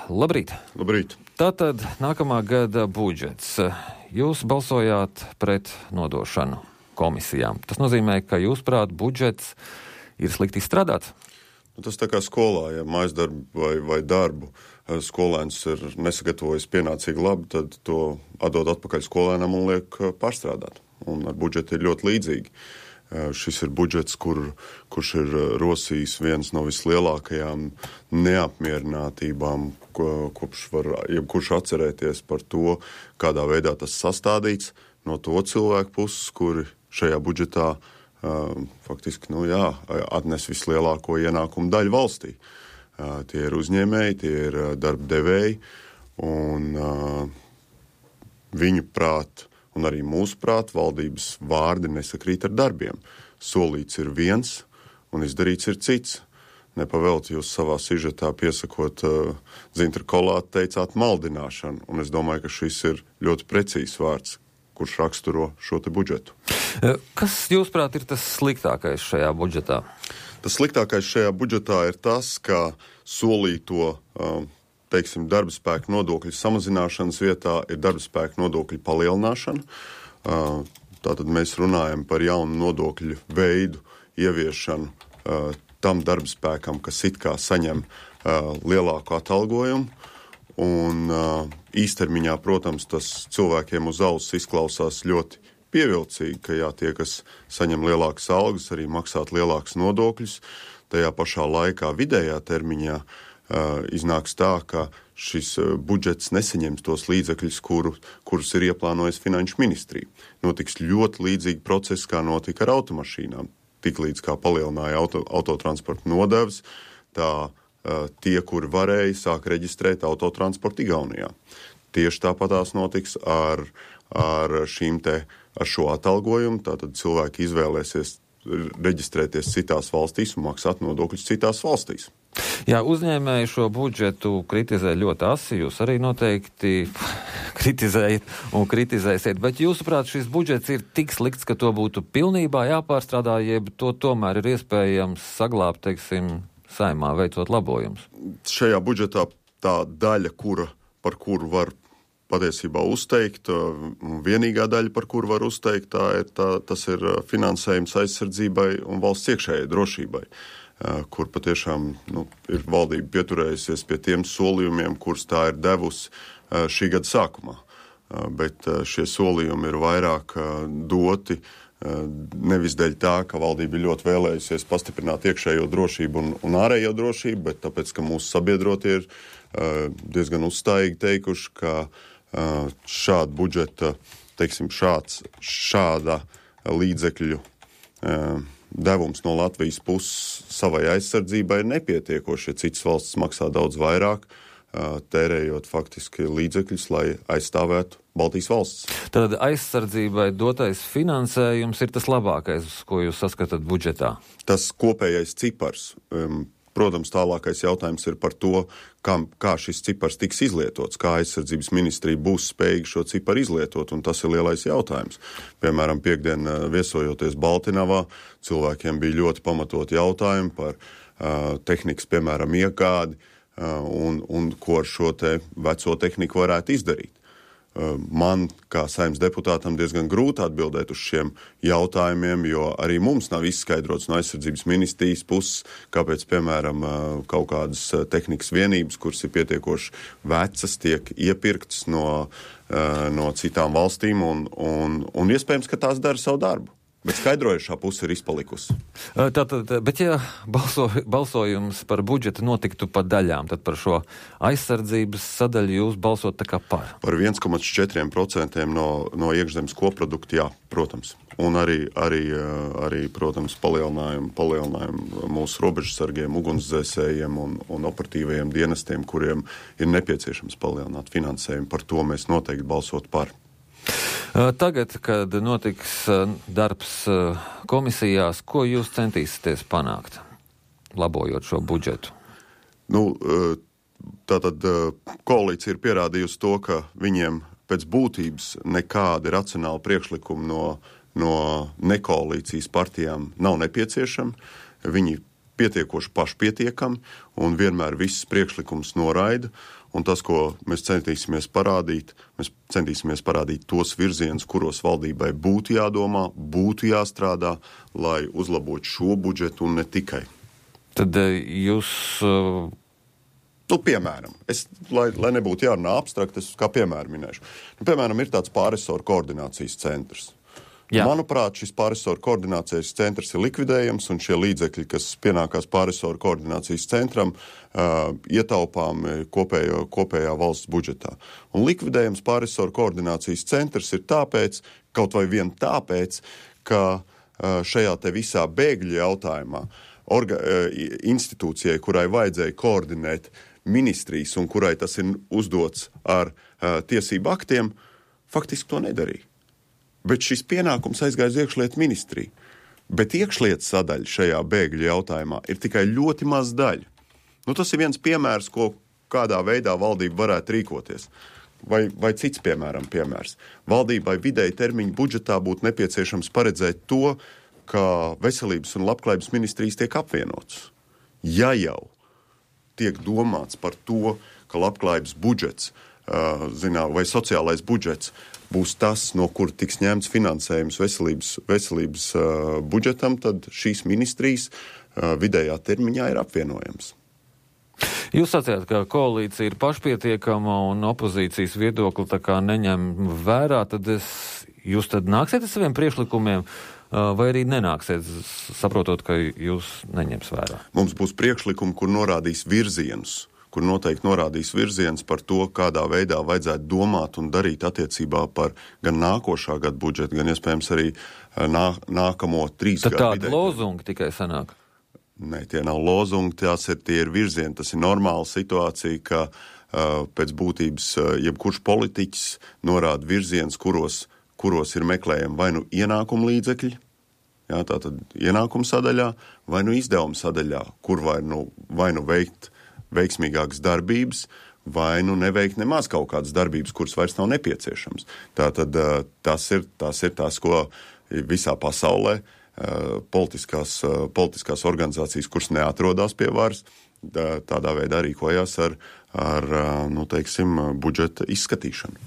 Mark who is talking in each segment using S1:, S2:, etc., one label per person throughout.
S1: Labrīt!
S2: Labrīt!
S1: Tātad nākamā gada budžets. Jūs balsojāt pret nodošanu komisijām. Tas nozīmē, ka jūsuprāt budžets ir slikti izstrādāts?
S2: Tas tā kā skolā, ja mājasdarbu vai darbu skolēns ir nesagatavojis pienācīgi labi, tad to atdod atpakaļ skolēnam un liek pārstrādāt. Un ar budžetu ir ļoti līdzīgi. Šis ir budžets, kurš ir rosījis viens no vislielākajām neapmierinātībām, kurš atcerēties par to, kādā veidā tas sastādīts no to cilvēku puses, kuri šajā budžetā faktiski atnes vislielāko ienākumu daļu valstī. Tie ir uzņēmēji, tie ir darba devēji, un viņu prāt un arī mūsu prāt valdības vārdi nesakrīt ar darbiem. Solīts ir viens un izdarīts ir cits. Nepavēlti jūs savā sižetā piesakot Zintra Kolātu teicāt maldināšanu, un es domāju, ka šis ir ļoti precīzs vārds, kurš raksturo šo te budžetu.
S1: Kas, jūsuprāt, ir tas sliktākais šajā budžetā?
S2: Tas sliktākais šajā budžetā ir tas, ka solīto darba spēka nodokļu samazināšanas vietā ir darba spēka nodokļu palielināšana. Tātad mēs runājam par jaunu nodokļu veidu ieviešanu tam darba spēkam, kas it kā saņem lielāku atalgojumu. Un īstermiņā, protams, tas cilvēkiem uz auss izklausās ļoti pievilcīgi, ka tie, kas saņem lielākas algas, arī maksāt lielākas nodokļus. Tajā pašā laikā vidējā termiņā iznāks tā, ka šis budžets nesaņems tos līdzekļus, kurus ir ieplānojis Finanšu ministrija. Notiks ļoti līdzīgi procesi, kā notika ar automašīnām. Tiklīdz kā palielināja autotransporta nodevas, tā tie, kuri varēja, sāk reģistrēt autotransportu Igaunijā. Tieši tāpatās notiks ar šo atalgojumu, tātad cilvēki izvēlēsies reģistrēties citās valstīs un maksāt nodokļus citās valstīs.
S1: Jā, uzņēmēji šo budžetu kritizē ļoti asi, jūs arī noteikti kritizējat un kritizēsiet, bet jūsuprāt šis budžets ir tik slikts, ka to būtu pilnībā jāpārstrādā, jeb to tomēr ir iespējams saglābt, Saeimā veicot labojumus?
S2: Šajā budžetā tā daļa, par kuru var patiesībā uzteikt, vienīgā daļa, par kuru var uzteikt, tas ir finansējums aizsardzībai un valsts iekšējai drošībai, kur patiešām ir valdība pieturējusies pie tiem solījumiem, kurus tā ir devusi šī gada sākumā. Bet šie solījumi ir vairāk doti nevis dēļ tā, ka valdība ir ļoti vēlējusies pastiprināt iekšējo drošību un ārējo drošību, bet tāpēc, ka mūsu sabiedrotie ir diezgan uzstājīgi teikuši, ka šāda budžeta, šāda līdzekļu devums no Latvijas puses savai aizsardzībai ir nepietiekoši, ja citas valstis maksā daudz vairāk, tērējot faktiski līdzekļus, lai aizstāvētu Baltijas valsts.
S1: Tad aizsardzībai dotais finansējums ir tas labākais, ko jūs saskatāt budžetā?
S2: Tas kopējais cipars. Protams, tālākais jautājums ir par to, kā šis cipars tiks izlietots, kā aizsardzības ministrija būs spējīga šo ciparu izlietot, un tas ir lielais jautājums. Piemēram, piektdien viesojoties Baltinavā, cilvēkiem bija ļoti pamatot jautājumi par tehnikas, piemēram, iegādi, un ko ar šo te veco tehniku varētu izdarīt. Man, kā Saeimas deputātam, diezgan grūti atbildēt uz šiem jautājumiem, jo arī mums nav izskaidrots no aizsardzības ministrijas puses, kāpēc, piemēram, kaut kādas tehnikas vienības, kuras ir pietiekoši vecas, tiek iepirktas no citām valstīm, un iespējams, ka tās dara savu darbu. Bet skaidrojušā puse ir izpalikusi.
S1: Bet ja balsojums par budžetu notiktu pa daļām, tad par šo aizsardzības sadaļu jūs balsot tā kā par?
S2: Par 1,4% no iekšzemes koprodukta, jā, protams. Un arī protams, palielinājumu mūsu robežsargiem, ugunsdzēsējiem un operatīvajiem dienestiem, kuriem ir nepieciešams palielināt finansējumu. Par to mēs noteikti balsot par.
S1: Tagad, kad notiks darbs komisijās, ko jūs centīsieties panākt, labojot šo budžetu?
S2: Tātad koalīcija ir pierādījusi to, ka viņiem pēc būtības nekādi racionāli priekšlikumi no nekoalīcijas partijām nav nepieciešami. Viņi pietiekoši pašpietiekami un vienmēr visus priekšlikums noraida. Un tas, ko mēs centīsimies parādīt tos virzienus, kuros valdībai būtu jādomā, būtu jāstrādā, lai uzlabotu šo budžetu un ne tikai.
S1: Tad jūs...
S2: Piemēram, lai nebūtu jārunā abstrakt, es kā piemēru minēšu. Piemēram, ir tāds pārresoru koordinācijas centrs. Jā. Manuprāt, šis pārresoru koordinācijas centrs ir likvidējams, un šie līdzekļi, kas pienākās pārresoru koordinācijas centram, ietaupām kopējā valsts budžetā. Un likvidējams pārresoru koordinācijas centrs ir tāpēc, kaut vai vien tāpēc, ka šajā te visā bēgļu jautājumā institūcijai, kurai vajadzēja koordinēt ministrijas un kurai tas ir uzdots ar tiesību aktiem, faktiski to nedarīja. Bet šis pienākums aizgāja uz iekšlietu ministriju. Bet iekšlietu sadaļa šajā bēgļu jautājumā ir tikai ļoti maz daļa. Tas ir viens piemērs, kādā veidā valdība varētu rīkoties. Vai cits piemērs. Valdībai vidēji termiņu budžetā būtu nepieciešams paredzēt to, ka veselības un labklājības ministrijas tiek apvienotas. Ja jau tiek domāts par to, ka labklājības budžets vai sociālais budžets būs tas, no kur tiks ņemts finansējums veselības budžetam, tad šīs ministrijas vidējā termiņā ir apvienojams.
S1: Jūs sacījāt, ka koalīcija ir pašpietiekama un opozīcijas viedokli tā kā neņem vērā, tad jūs tad nāksiet ar saviem priekšlikumiem vai arī nenāksiet, saprotot, ka jūs neņems vērā? Mums
S2: būs priekšlikumi, kur norādīs virzienus, kur noteikti norādīs virziens par to, kādā veidā vajadzētu domāt un darīt attiecībā par gan nākošā gada budžetu, gan iespējams arī nākamo 3 gadu.
S1: Tad tādi lozungi tikai sanāk?
S2: Nē, tie nav lozungi, tie ir virzieni. Tas ir normāla situācija, ka pēc būtības jebkurš politiķis norāda virziens, kuros ir meklējami vai nu ienākumu līdzekļi, tātad ienākumu sadaļā, vai nu izdevumu sadaļā, kur vai nu veikt veiksmīgākas darbības, vai nu neveikt nemaz kaut kādas darbības, kuras vairs nav nepieciešams. Tātad tas ir tas, ko visā pasaulē politiskās organizācijas, kuras neatrodās pie varas, tādā veidā rīkojās ar budžeta izskatīšanu.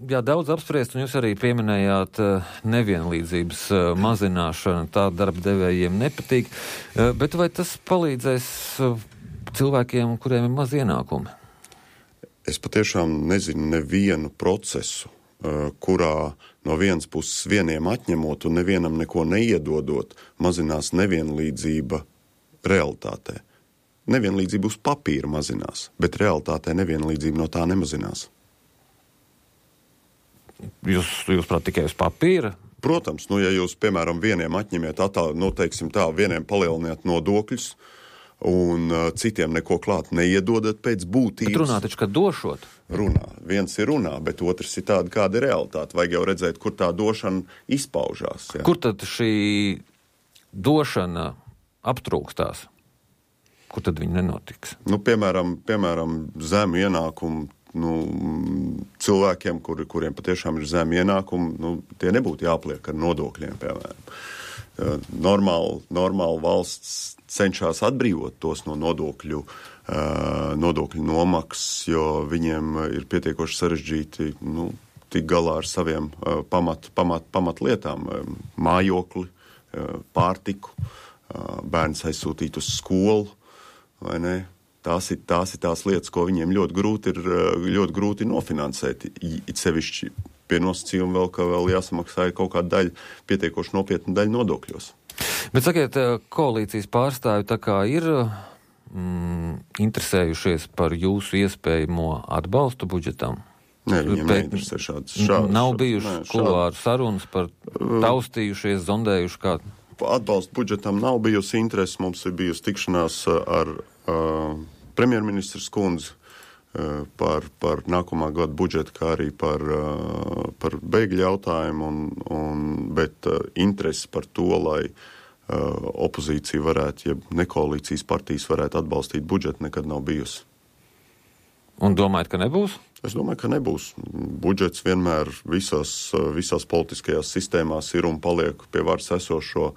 S1: Jā, daudz apspriest, un jūs arī pieminējāt nevienlīdzības mazināšanu, tā darba devējiem nepatīk, bet vai tas palīdzēs cilvēkiem, kuriem ir maz ienākumi?
S2: Es patiešām nezinu nevienu procesu, kurā no vienas puses vieniem atņemot un nevienam neko neiedodot, mazinās nevienlīdzība realitātē. Nevienlīdzība uz papīra mazinās, bet realitātē nevienlīdzība no tā nemazinās.
S1: Jūs prāt tikai uz papīra?
S2: Protams, ja jūs, piemēram, vieniem atņemiet vieniem palieliniet nodokļus un citiem neko klāt neiedodat pēc būtības.
S1: Bet runā taču, ka došot.
S2: Runā. Viens ir runā, bet otrs ir tāda, kāda ir realitāte. Vajag jau redzēt, kur tā došana izpaužās. Jā.
S1: Kur tad šī došana aptrūkstās? Kur tad viņi nenotiks?
S2: Piemēram, zemu ienākumu cilvēkiem, kuriem patiešām ir zemi ienākumi, tie nebūtu jāpliek ar nodokļiem, piemēram. Normāli valsts cenšas atbrīvot tos no nodokļu nomaksas, jo viņiem ir pietiekoši sarežģīti tik galā ar saviem pamatlietām, mājokli, pārtiku, bērns aizsūtīt uz skolu, vai ne? Tās ir tās lietas, ko viņiem ļoti grūti nofinansēt. It sevišķi pie nosacījuma ka vēl jāsamaksā kaut kāda daļa, pietiekoši nopietna daļa nodokļos.
S1: Bet sakiet, koalīcijas pārstāvi tā kā ir interesējušies par jūsu iespējamo atbalstu budžetam?
S2: Nē, viņiem neinteresē šāds.
S1: Nav bijuši kuluāru sarunas par taustījušies, zondējuši kādu?
S2: Atbalstu budžetam nav bijusi interesi. Mums ir bijusi tikšanās ar premjerministrs kundzi par nākamā gada budžetu, kā arī par bēgļu jautājumu, bet interesi par to, lai opozīcija varētu, ja ne koalīcijas partijas varētu atbalstīt budžetu, nekad nav bijusi.
S1: Un domājat, ka nebūs?
S2: Es domāju, ka nebūs. Budžets vienmēr visās politiskajās sistēmās ir un paliek pie varas esošo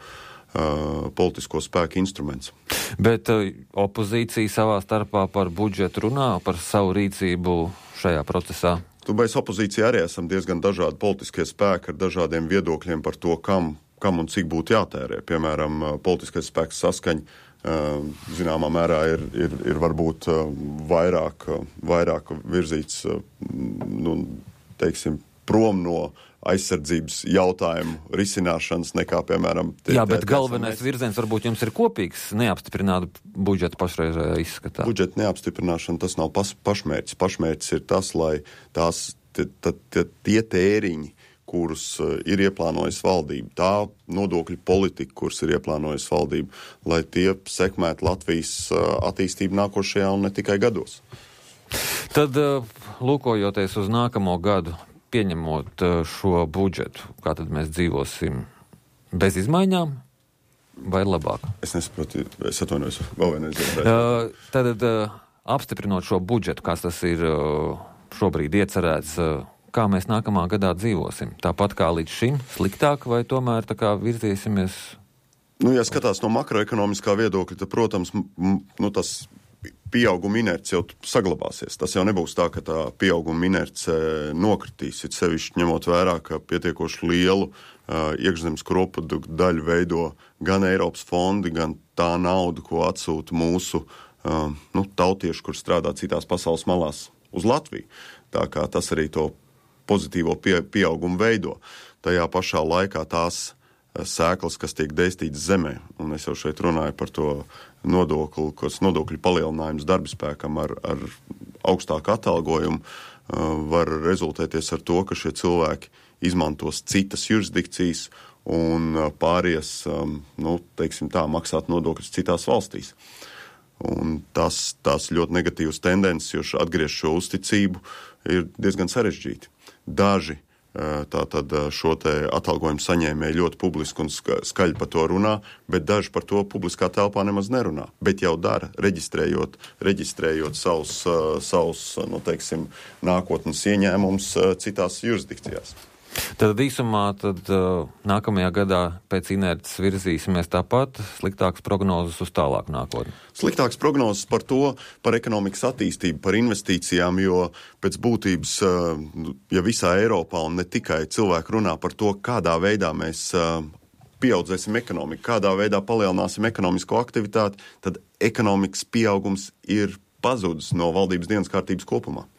S2: politisko spēku instruments.
S1: Bet opozīcija savā starpā par budžetu runā, par savu rīcību šajā procesā?
S2: Mēs opozīcija arī esam diezgan dažādi politiskie spēki ar dažādiem viedokļiem par to, kam un cik būtu jātērē. Piemēram, politiskais spēks Saskaņa zināmā mērā ir varbūt vairāk virzīts, prom no aizsardzības jautājumu risināšanas nekā, piemēram...
S1: Bet galvenais virziens varbūt jums ir kopīgs, neapstiprināt budžetu pašreizējā izskatā.
S2: Budžeta neapstiprināšana, tas nav pašmērķis. Pašmērķis ir tas, lai tie tēriņi, kurus ir ieplānojis valdība, tā nodokļu politika, kuras ir ieplānojis valdība, lai tie sekmētu Latvijas attīstību nākošajā un ne tikai gados.
S1: Tad, lūkojoties uz nākamo gadu, pieņemot šo budžetu, kā tad mēs dzīvosim bez izmaiņām vai labāk?
S2: Es nesaprotu, es atvainojos, vēl vienreiz.
S1: Tad, apstiprinot šo budžetu, kāds tas ir šobrīd iecerēts, kā mēs nākamā gadā dzīvosim? Tāpat kā līdz šim, sliktāk vai tomēr tā kā virzīsimies?
S2: Ja skatās no makroekonomiskā viedokļa, tad, protams, tas pieauguma inerce jau saglabāsies. Tas jau nebūs tā, ka tā pieauguma inerce nokritīs, it sevišķi ņemot vērā, ka pietiekoši lielu iekšzemes koproduktu daļu veido gan Eiropas fondi, gan tā nauda, ko atsūta mūsu tautieši, kur strādā citās pasaules malās uz Latviju. Tā kā tas arī to pozitīvo pieaugumu veido. Tajā pašā laikā tās sēklas, kas tiek dēstītas zemē, un es jau šeit runāju par to nodokļu palielinājums darbaspēkam ar augstāku atalgojumu, var rezultēties ar to, ka šie cilvēki izmantos citas jurisdikcijas un pāries, maksāt nodokļus citās valstīs. Un tās ļoti negatīvas tendences, jo atgriezt šo uzticību ir diezgan sarežģīti. Daži tātad šo te atalgojumu saņēmēji ļoti publiski un skaļi par to runā, bet daži par to publiskā telpā nemaz nerunā. Bet jau dara, reģistrējot savus nākotnes ieņēmumus citās jurisdikcijās.
S1: Tad īsumā nākamajā gadā pēc inerces virzīsimies tāpat, sliktākas prognozes uz tālāku nākotni.
S2: Sliktākas prognozes par ekonomikas attīstību, par investīcijām, jo pēc būtības, ja visā Eiropā un ne tikai cilvēki runā par to, kādā veidā mēs pieaudzēsim ekonomiku, kādā veidā palielināsim ekonomisko aktivitāti, tad ekonomikas pieaugums ir pazudis no valdības dienas kārtības kopumā.